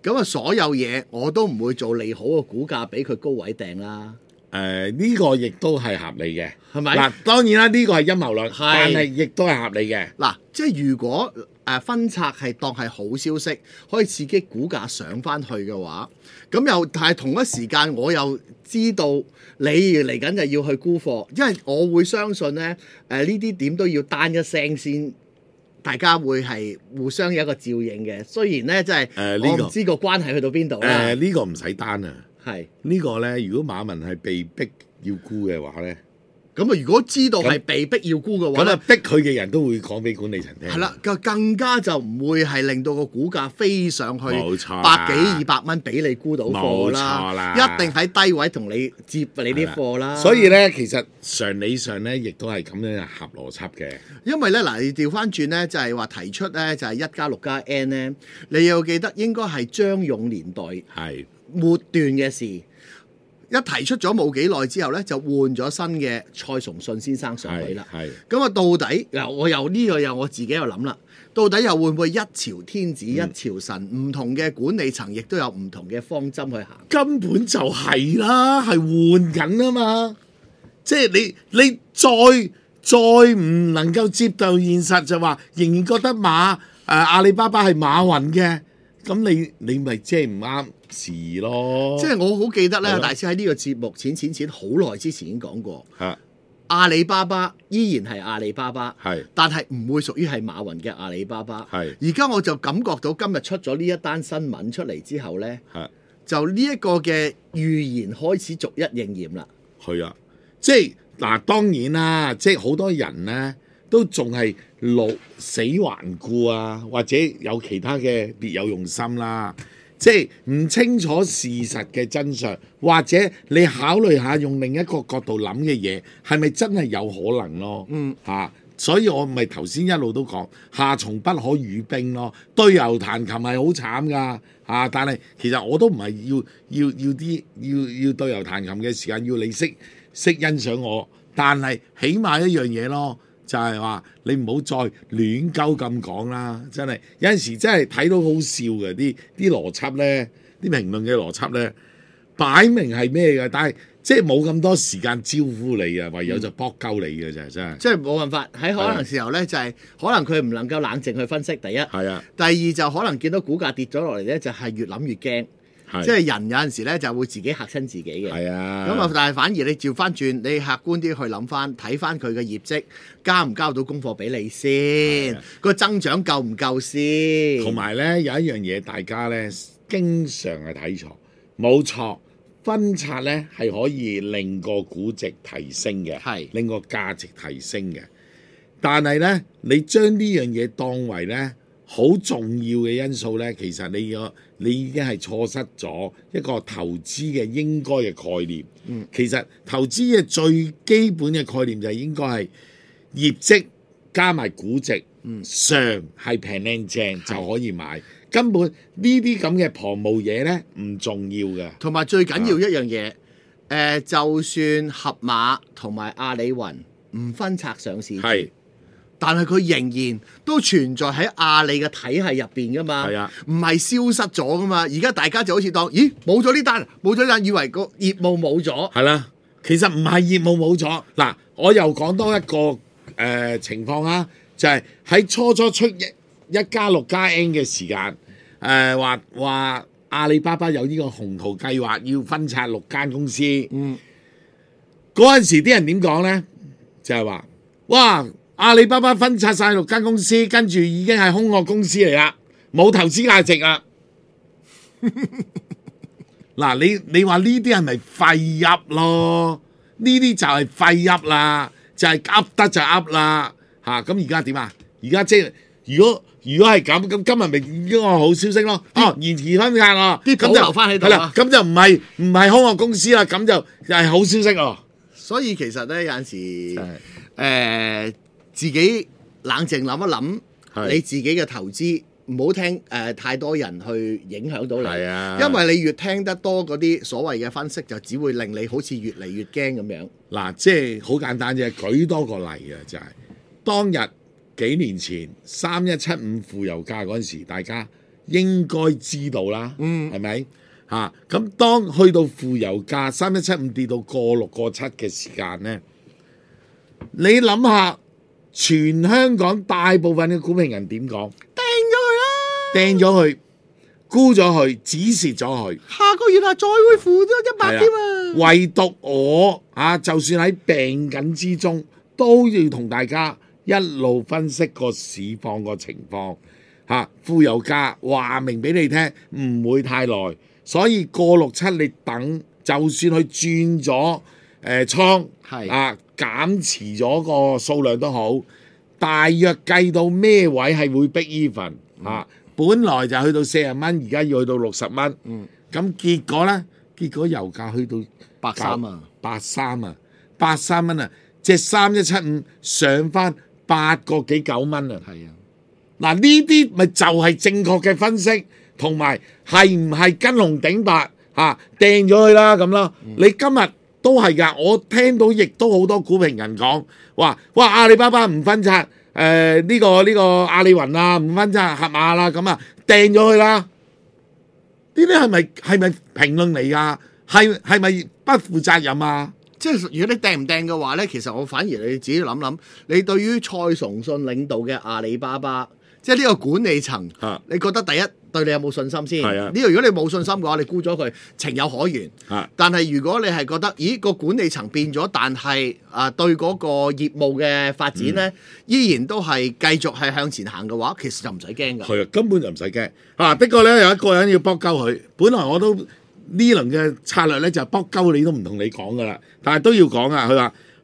咁啊所有嘢我都唔會做利好嘅股價俾佢高位掟啦。呢個亦都係合理嘅，係咪？嗱，當然啦，呢個係陰謀論，但係亦都係合理嘅。嗱，即係如果分拆係當係好消息，可以刺激股價上翻去嘅話，咁又但係同一時間我又知道你嚟緊就要去沽貨，因為我會相信咧，呢啲點都要單一聲先。大家會係互相有一個照應嘅，雖然咧即係我唔知個關係去到邊度啦。呢個唔使單啊，係呢個咧，如果馬雲係被逼要沽嘅話咧，咁啊，如果知道係被逼要沽嘅話，咁啊逼佢嘅人都會講俾管理層聽。係啦，更加就唔會係令到個股價飛上去冇錯100幾200蚊俾你沽到貨啦，冇錯啦，一定喺低位同你接你啲貨啦。所以咧，其實常理上咧，亦都係咁樣合邏輯嘅。因為咧嗱，你調翻轉咧，就係話提出咧，就係1+6+N 咧，你要記得應該係張勇年代末段嘅事。一提出咗冇幾耐之後咧，就換咗新嘅蔡崇信先生上位啦。咁啊，到底嗱，我又呢個又我自己又諗啦，到底又會唔會一朝天子一朝臣？唔同嘅管理層亦都有唔同嘅方針去行。根本就係啦，係換緊啊嘛！即係你再唔能夠接受現實，就話仍然覺得阿里巴巴係馬雲嘅，咁你咪即係唔啱事咯。即係我好記得咧，大師喺呢個節目錢好耐之前已經講過，阿里巴巴依然係阿里巴巴，但係唔會屬於係馬雲嘅阿里巴巴。而家我就感覺到今日出咗呢一單新聞出嚟之後咧，就呢一個嘅預言開始逐一應驗啦。係啊，即係嗱，當然啦，即係好多人咧都仲係死頑固啊，或者有其他嘅別有用心啦。即係唔清楚事實嘅真相，或者你考慮下用另一個角度諗嘅嘢，係咪真係有可能咯？所以我咪頭先一路都講夏蟲不可語冰咯，對牛彈琴係好慘噶但係其實我都唔係要對牛彈琴嘅時間要你識欣賞我，但係起碼一樣嘢咯。就係話你唔好再亂鳩咁講啦，真係有陣時真係睇到好笑嘅啲邏輯咧，啲評論嘅邏輯咧，擺明係咩嘅，但係即係冇咁多時間招呼你啊，唯有就搏鳩你嘅啫，真係。即係冇辦法喺可能時候咧，就係可能佢唔能夠冷靜去分析。第一係啊，第二就可能見到股價跌咗落嚟咧，就係越諗越驚。即係人有陣時咧就會自己嚇親自己嘅，咁啊！但係反而你調翻轉，你客觀啲去諗翻，睇翻佢嘅業績交唔交到功課俾你先，個增長夠唔夠先？同埋咧有一樣嘢，大家咧經常係睇錯，冇錯，分拆咧係可以令個估值提升嘅，令個價值提升嘅。但係咧，你將呢樣嘢當為咧好重要嘅因素咧，其實你已經係錯失咗一個投資嘅應該嘅概念。其實投資嘅最基本嘅概念就係應該係業績加埋估值，上係平靚正就可以買。根本呢啲咁嘅旁無嘢咧唔重要嘅。同埋最緊要一樣嘢，就算盒馬同埋阿里雲唔分拆上市，但係佢仍然都存在喺阿里嘅體系入邊噶嘛，唔係消失咗噶嘛。而家大家就好似當，咦，冇咗呢單，冇咗呢單，以為個業務冇咗。係啦，其實唔係業務冇咗。嗱，我又講多一個情況啊，就係喺初出1+6+N 嘅時間，話阿里巴巴有呢個宏圖計劃要分拆6間公司。嗰陣時啲人點講咧？就係話，哇！阿里巴巴分拆晒6間公司，跟住已經係空殼公司嚟啦，冇投資價值啦。嗱，你話呢啲係咪廢噏咯？呢啲就係廢噏啦，就係噏得就噏啦嚇。咁而家點啊？而家即係如果如果係咁，咁今日咪已經係好消息咯。延遲分拆啊，啲保留翻喺度係啦，咁就唔係空殼公司啦，咁就係好消息咯。所以其實咧有陣時自己冷靜諗一諗，你自己嘅投資唔好聽太多人去影響到你，係啊，因為你越聽得多嗰啲所謂嘅分析，就只會令你好似越嚟越驚咁樣。嗱，即係好簡單啫，舉多個例啊，就係當日幾年前3175負油價嗰陣時，大家應該知道啦，係咪嚇？咁當去到負油價3175跌到過6過7嘅時間咧，你諗下，全香港大部分嘅股評人點講？掟咗佢，沽咗佢，止蝕咗佢。下個月再會負咗100添啊！唯獨我就算喺病緊之中，都要同大家一路分析個市況個情況。負油價話明俾你聽，唔會太耐，所以過6、7你等，就算佢轉咗倉，減持咗個數量都好，大約計到咩位係會逼 even 本來就去到40蚊，而家要去到60蚊。咁結果咧，油價去到83蚊啊！隻3175上翻8個幾9蚊啊！係啊，嗱呢啲咪就係正確嘅分析，同埋係唔係跟紅頂白掟咗佢啦咁咯？你今日都係㗎，我聽到亦都好多股評人講話，哇阿里巴巴唔分拆。呢個阿里雲啊，唔分拆合馬啦，咁啊掟咗佢啦。呢啲係咪評論嚟㗎？係咪不負責任啊？即係如果你掟唔掟嘅話咧，其實我反而你自己諗諗，你對於蔡崇信領導嘅阿里巴巴，即係呢個管理層，你覺得第一對你有冇信心先？呢個如果你冇信心嘅話，你沽咗佢情有可原。但係如果你係覺得，咦個管理層變咗，但係對嗰個業務嘅發展咧，依然都係繼續係向前行嘅話，其實就唔使驚㗎。係啊，根本就唔使驚。的確咧有一個人要搏鳩佢，本來我都呢輪嘅策略咧就係搏鳩你都唔同你講㗎啦，但係都要講啊。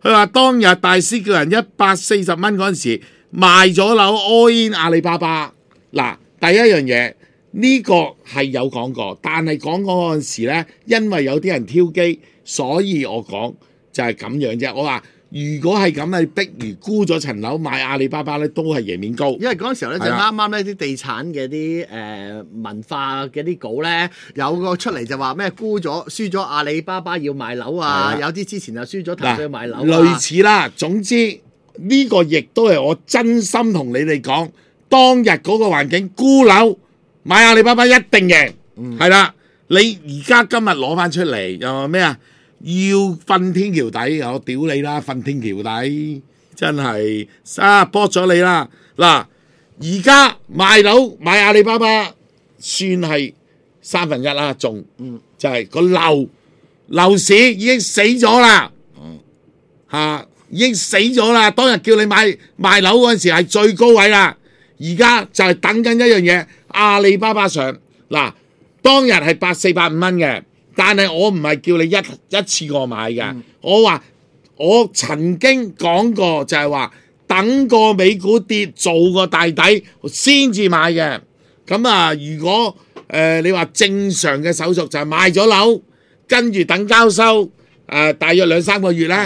佢話當日大師叫人140蚊嗰陣時賣咗樓 all in 阿里巴巴。嗱，第一樣嘢。呢個係有講過，但係講嗰陣時咧，因為有啲人挑機，所以我講就係咁樣啫。我話如果係咁，你逼如沽咗層樓買阿里巴巴咧，都係贏面高。因為嗰陣時候咧就啱啱咧啲地產嘅啲文化嘅啲稿咧，有個出嚟就話咩沽咗輸咗阿里巴巴要賣樓啊，有啲之前就輸咗騰訊要賣樓類似啦。總之呢個亦都係我真心同你哋講，當日嗰個環境沽樓。買阿里巴巴一定贏，係啦。你而家今日攞翻出嚟又話咩啊？要瞓天橋底，我屌你啦！瞓天橋底真係搏咗你啦。嗱，而家賣樓買阿里巴巴算係1/3啦，仲就係個樓市已經死咗啦，已經死咗啦。當日叫你賣樓嗰陣時係最高位啦，而家就係等緊一樣嘢。阿里巴巴上嗱，當日係84、85蚊嘅，但係我唔係叫你一次過買嘅。我話我曾經講過就係話等個美股跌做個大底先至買嘅。咁如果你話正常嘅手續就係賣咗樓，跟住等交收大約2、3個月咧，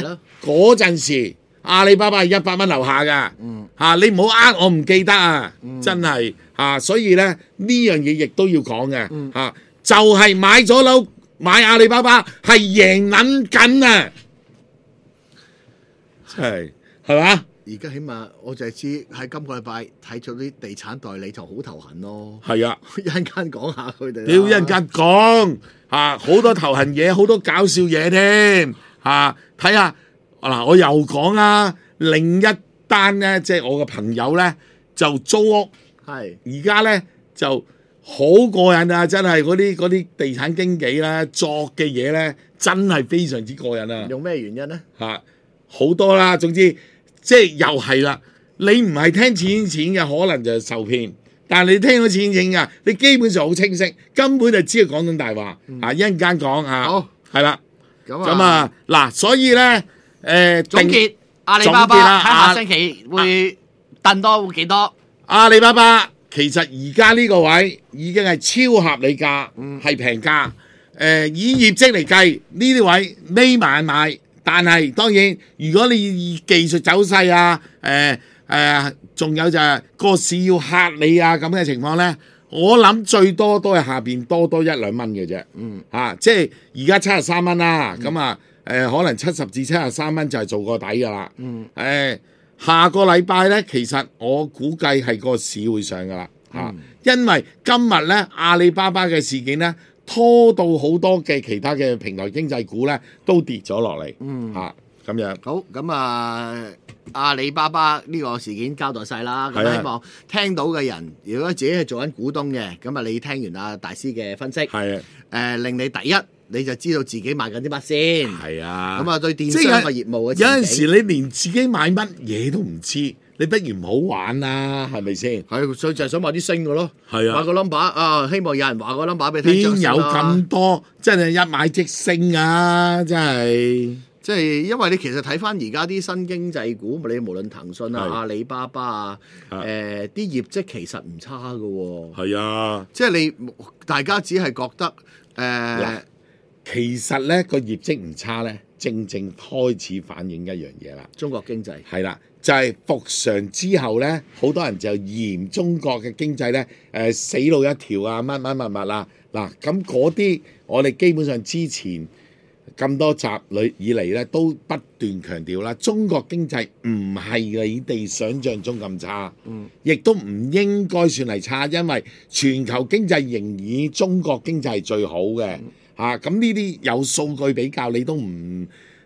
嗰陣時阿里巴巴係100蚊樓下㗎。你唔好我唔記得啊，真係。所以咧呢樣嘢亦都要講嘅，就係買咗樓買阿里巴巴係贏撚緊啊，係嘛？而家起碼我就係知喺今個禮拜睇咗啲地產代理就好頭痕咯。係啊，一陣間講下佢哋。屌一陣間講好多頭痕嘢，好多搞笑嘢添睇下嗱，我又講啦，另一單咧，即係我嘅朋友咧就租屋。而家咧就好過癮啊！真係嗰啲地產經紀咧作嘅嘢咧，真係非常之過癮啊！用咩原因咧？好多啦，總之即係又係啦。你唔係聽錢嘅，可能就受騙；但係你聽到錢嘅，你基本上好清晰，根本就知佢講緊大話。一陣間講好係啦。咁嗱，所以咧總結阿里巴巴喺下星期會掟多幾多？阿里巴巴其實而家呢個位已經係超合理價，係平價。以業績嚟計，呢啲位匿埋買。但係當然，如果你以技術走勢啊，仲有就係個市要嚇你啊咁嘅情況咧，我諗最多都係下邊多1-2蚊嘅啫。即係而家73蚊啦，咁啊可能70至73蚊就係做個底㗎啦。下個禮拜咧，其實我估計係個市會上㗎啦。因為今日咧阿里巴巴嘅事件咧，拖到好多嘅其他嘅平台經濟股咧都跌咗落嚟。咁樣好咁啊！阿里巴巴呢個事件交代晒啦，咁希望聽到嘅人，如果自己係做緊股東嘅，咁啊你聽完阿大師嘅分析，令你第一你就知道自己買緊啲乜先。咁啊對電商嘅業務嘅前景，有陣時你連自己買乜嘢都唔知，你不如唔好玩啦，係咪先？所以就係想買啲升嘅咯。買個 number 啊，希望有人話個 number 俾你聽。邊有咁多真係一買即升啊！真係。即係因為你其實睇翻而家啲新經濟股，你無論騰訊啊、阿里巴巴啊，啲業績其實唔差嘅喎。即係你大家只係覺得其實咧個業績唔差咧，正開始反映一樣嘢啦。中國經濟係啦，就係復常之後咧，好多人就嫌中國嘅經濟咧死路一條啊，乜啦。嗱，咁嗰啲我哋基本上之前咁多集以嚟咧，都不斷強調啦，中國經濟唔係你哋想象中咁差，亦都唔應該算係差，因為全球經濟仍以中國經濟係最好嘅。咁呢啲有數據比較你都唔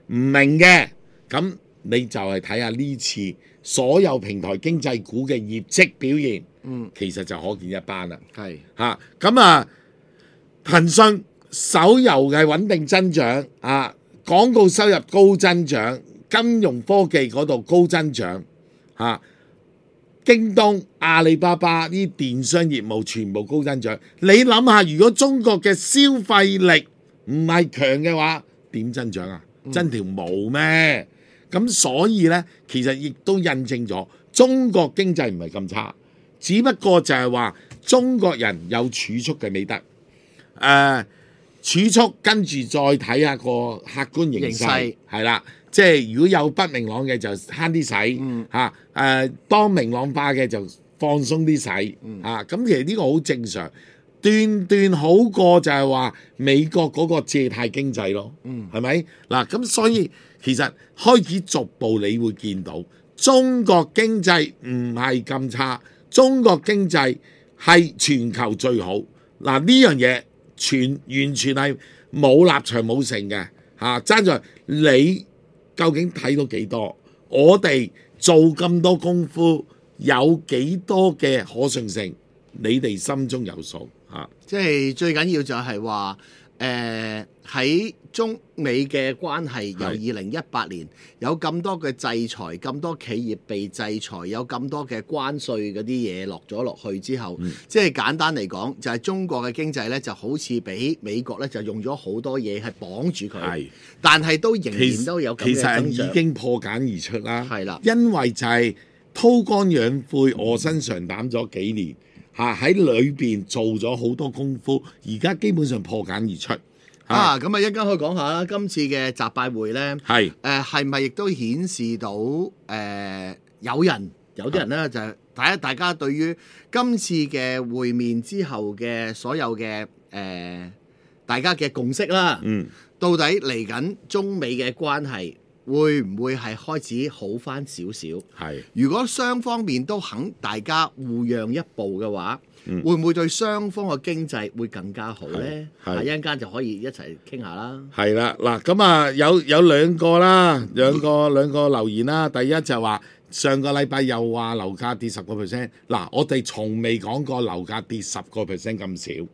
明嘅，咁你就係睇下呢次所有平台經濟股嘅業績表現，其實就可見一斑啦。咁騰訊手遊嘅穩定增長，廣告收入高增長，金融科技嗰度高增長，京東、阿里巴巴呢啲電商業務全部高增長。你諗下，如果中國嘅消費力唔係強嘅話，點增長啊？真條毛咩？咁所以呢，其實亦都印證咗中國經濟唔係咁差，只不過就係話中國人有儲蓄嘅美德。儲蓄跟住再睇下個客觀形勢，係啦，即係如果有不明朗嘅就慳啲使，當明朗化嘅就放鬆啲使，咁其實呢個好正常，段好過就係話美國嗰個借貸經濟咯，係咪？嗱，咁所以其實開始逐步你會見到中國經濟唔係咁差，中國經濟係全球最好。嗱，呢樣嘢完全係冇立場冇成嘅，爭在你究竟睇到幾多？我哋做咁多功夫，有幾多嘅可信性？你哋心中有數。即係最緊要就係話，喺中美嘅關係由2018年有咁多嘅制裁，咁多企業被制裁，有咁多嘅關稅嗰啲嘢落咗落去之後，即係簡單嚟講，就係中國嘅經濟咧就好似俾美國咧就用咗好多嘢係綁住佢，但係都仍然都有咁嘅增長。其實已經破繭而出啦，因為就係韜光養晦、臥薪嘗膽咗幾年。喺裏邊做咗好多功夫，而家基本上破繭而出。咁一陣間可以講下啦，今次嘅習拜會咧，係咪亦都顯示到有啲人咧就係大家對於今次嘅會面之後嘅所有嘅大家嘅共識啦，到底嚟緊中美嘅關係會唔會係開始好返少少？如果雙方面都肯大家互讓一步嘅話，會唔會對雙方嘅經濟會更加好呢？一陣間就可以一齊傾下啦。係啦，嗱咁有兩個啦，兩個留言啦。第一就話上個禮拜又話樓價跌10%，嗱我哋從未講過樓價跌10%咁少。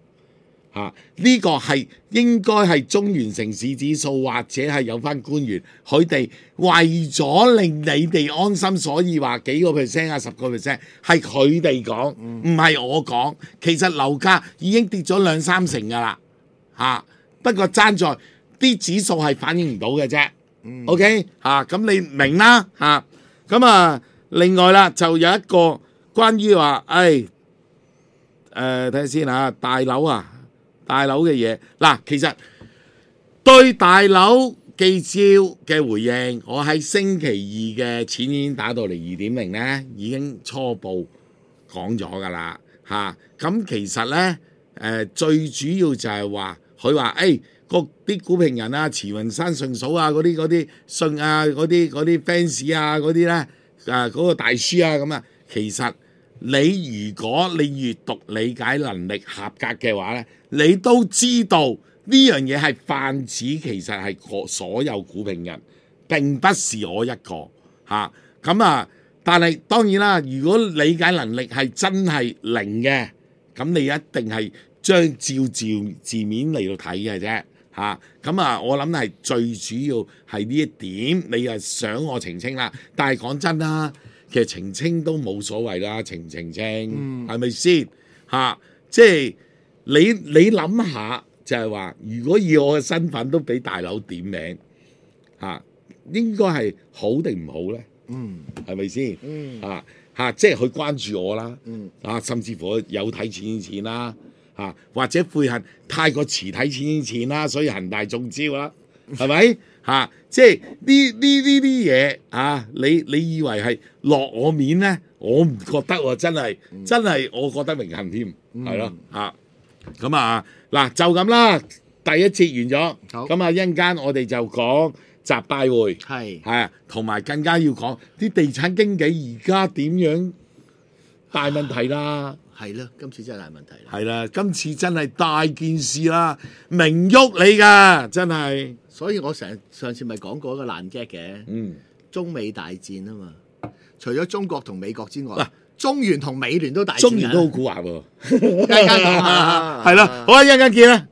呢個係應該係中原城市指數，或者係有翻官員佢哋為咗令你哋安心，所以話幾個 percent 10%，係佢哋講，唔係我講。其實樓價已經跌咗2-3成噶啦，不過爭在啲指數係反映唔到嘅啫。OK，咁你明啦，咁另外啦就有一個關於話，睇下先嚇，大樓嘅嘢嗱，其實對大樓記招嘅回應，我喺星期二嘅錢已經打到嚟2.0咧，已經初步講咗㗎啦嚇。咁其實咧最主要就係話佢話啲股評人啊、慈雲山順嫂啊、嗰啲信啊、嗰啲 fans 啊、嗰啲咧嗰個大書啊咁啊，其實你如果你閱讀理解能力合格嘅話咧，你都知道呢樣嘢係泛指，其實係所有股評人，並不是我一個嚇。咁啊，但係當然啦，如果理解能力係真係零嘅，咁你一定係將照字面嚟到睇嘅啫嚇。咁啊，我諗係最主要係呢一點，你又想我澄清啦。但係講真啦，其實澄清都冇所謂啦，澄清係咪先嚇？即係你諗下。就係話，如果以我嘅身份都俾大佬點名嚇，應該係好定唔好咧？係咪先？即係佢關注我啦，甚至乎有睇錢啦，或者悔恨太過遲睇錢啦，所以恒大中招啦，係咪？即係呢啲嘢你以為係落我面咧？我唔覺得喎，真係我覺得榮幸添，係咯咁啊嗱，就咁啦，第一節完咗，咁啊一陣間我哋就講習拜會，係同埋更加要講啲地產經紀而家點樣大問題啦，係啦，今次真係大問題啦，係啦，今次真係大件事啦，明喐你㗎，真係，所以我上次咪講過一個爛 gag 嘅，中美大戰啊嘛，除咗中國同美國之外。中原同美聯都大戰，中原都好蠱惑喎，一陣間講下，係啦，好啊，一陣間見啦。